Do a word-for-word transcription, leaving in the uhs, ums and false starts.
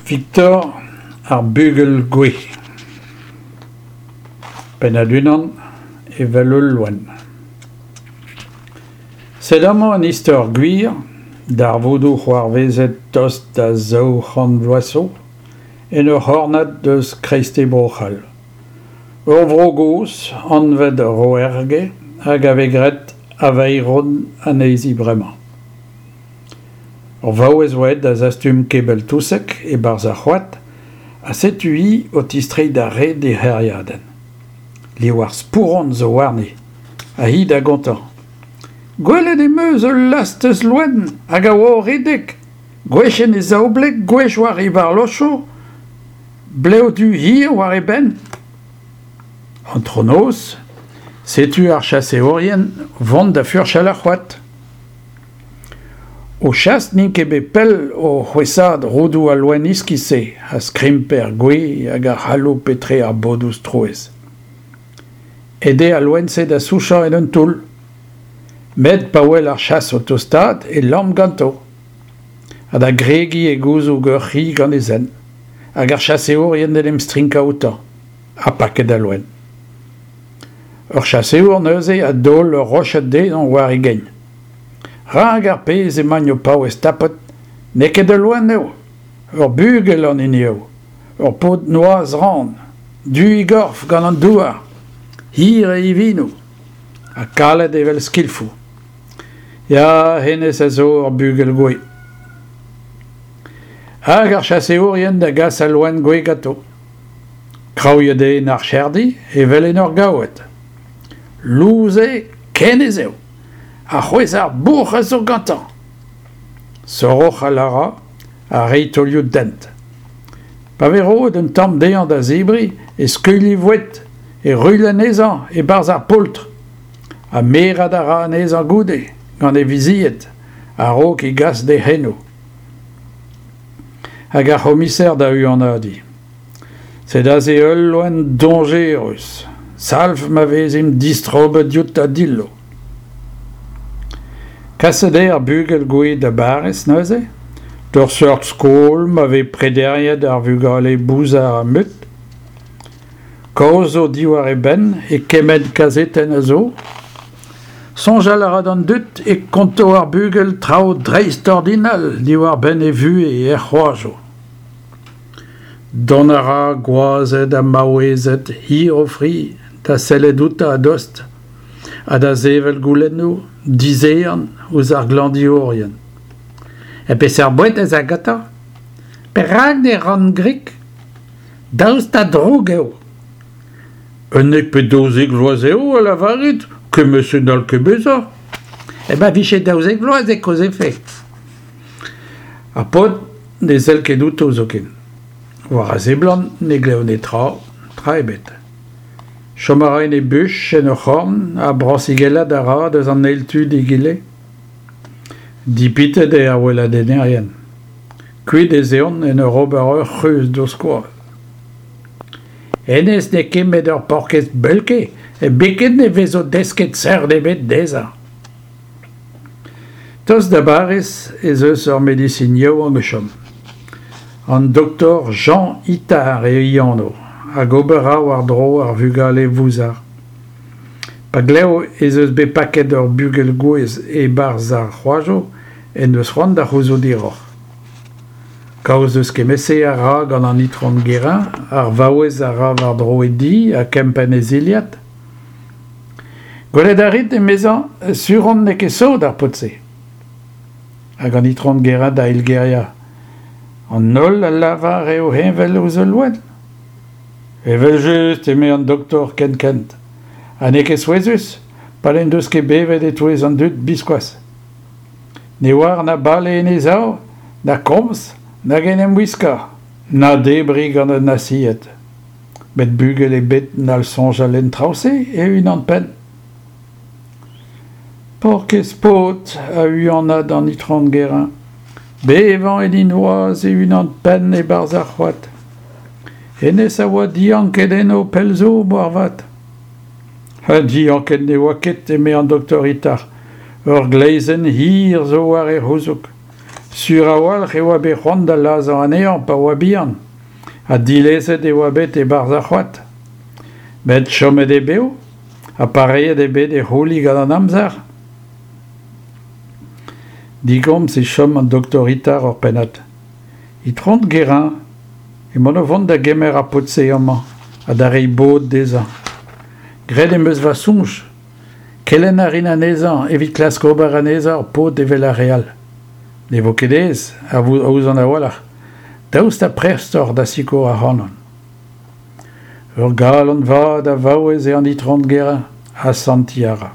Victor, ar bugel gouez. Pennad unan, evel ul loen. Sed amañ un istor gwir, darvoudoù c'hoarvezet tost da zaou c'hant vloaz zo, en ur c'hornad eus kreisteiz Bro-C'hall. Ur vro gozh, anvet Roergue, hag a vez graet Aveyron anezhi bremañ. Ur vaouez oa aet da zastum kebell-touseg e-barzh ar c'hoad ha setu-hi o tistreiñ d'ar red d'he c'hêriadenn. Liv ar spouron zo warni, ha hi da gontañ. Gwelet em eus ul lastez loen hag a oa o redek, gwech en e zaoubleg, gwech war e varlochoù, blev du hir war e benn. Antronoz, setu ar chaseourien vont da furchal ar c'hoad. O chas n'int ket bet pell o c'hwesaat roudoù al loen iskis-se a skrimp er gwez hag a c'haloup etre ar bodoù strouezh. Aet eo al loen-se da souchañ en un toull. Met pa wel ar chas o tostaat e lamm ganto. Ha da gregiñ e gouzoug ur c'hi gant e zent. Hag ar chaseourien d'en em strinkañ outañ. Ha paket al loen. Ur chaseour neuze a daol ur roched dezhañ war e gein. Rak ar pezh emaint o paouez tapet, n'eo ket ul loen eo, ur bugel an hini eo, ur paotr noazh-ran, du e gorf gant an douar, hir e ivinoù, ha kalet evel skilfoù. Ya, hennezh a zo ur bugel gouez. Hag ar chaseourien da gas al loen gouez ganto. Kraouiet eo en archerdi evel en ur gaoued. Lous eo ken ez eo. Ha c'hwezh ar bouc'h a zo gantañ. Soroc'hal a ra ha reiñ taolioù dent. Pa vez roet un tamm dezhañ da zebriñ e skuilh e voued, e ruilh anezhañ e-barzh ar poultr. Ha merat a ra anezhañ goude, gant e vizied, a-raok e gas d'e c'henoù. Hag ar c'homiser da huanadiñ. Sed aze ul loen dañjerus. Salv ma vezimp distrobet dioutañ dillo. Kaset eo ar bugel gouez da Bariz neuze, d'ur seurt skol ma vez prederiet ar vugale bouzar ha mut. Kaoz zo diwar e benn e kement kazetenn a zo. Soñjal a ra d'an dud e konto ar bugel traoù dreistordinal diwar-benn e vuhez er c'hoajoù. Dont a ra gwazed ha maouezed hir o fri da sellet outañ a-dost ha da sevel goulennoù dizehan ouzh ar glañvdiourien. E peseurt boued ez a gantañ ? Perak ne ran grik ? Daoust ha drouk eo ? Unnek pe daouzek vloaz eo a lavarit, kement-se n'hall ket bezañ. E ma vije daouzek vloaz e kaozefe. Ar paotr ne sell ket outo zoken. War a seblant ne glev netra, tra ebet. Chom a ra en e buch en ur c'horn ha brañsigellat a ra deus an eil tu d'egile. Dipitet eo ar weladennerien. Kuit ez eont en ur ober ur c'hreuz d'o skoaz. Hennezh n'eo ket met ur paourkaezh beulke, biken ne vezo desket seurt ebet dezhañ. Tost da Bariz ez eus ur medisin yaouank o chom. An doktor Jean Itard eo e anv, hag ober a ra war-dro ar vugale vouzar. Pa glev ez eus bet paket ur bugel gouez e-barzh ar c'hoajoù en deus c'hoant da c'houzout hiroc'h. Kaoz eus kement-se a ra gant an Itron Guérin, ar vaouez a ra war-dro e di ha kempenn e zilhad. Gwelet a rit, emezañ, sur on n'eo ket sot ar paotr-se. Hag an Itron Guérin da eilgeriañ. An holl a lavar eo heñvel ouzh ul loen. Evel-just, eme an doktor kenkent. Ha n'eo ket souezhus, pa n'en deus ket bevet e-touez an dud biskoazh. Ne oar na bale en e sav, na komz, nag en em wiskañ, na debriñ gant un asied. Met bugel ebet n'hall soñjal en traoù-se e-unan-penn. Paourkaezh paotr a huanad an Itron Guérin. Bevañ en e noazh e-unan-penn e-barzh ar c'hoad. Hennezh a oa dianket eno pell zo moarvat. Ha dianket ne oa ket, eme an doktor Itard. Ur gleizhenn hir zo war e c'houzoug. Sur a-walc'h e oa bet c'hoant da lazhañ anezhañ pa oa bihan ha dilezet e oa bet e-barzh ar c'hoad. Met chomet eo bev ha pareet eo bet e c'houli gant an amzer. Digomz e chom an doktor Itard ur pennad. Itron Guérin, emaon o vont da gemer ar paotr-se amañ ha da reiñ bod dezhañ. Graet em eus va soñj. Kelenn a rin anezhañ evit klask ober anezhañ ur paotr evel ar re all. Ne vo ket aes, a ouzon a-walc'h. Daoust ha prest oc'h da sikour ac'hanon. Ur galon vat a vaouez eo an Itron Guérin, asantiñ a ra.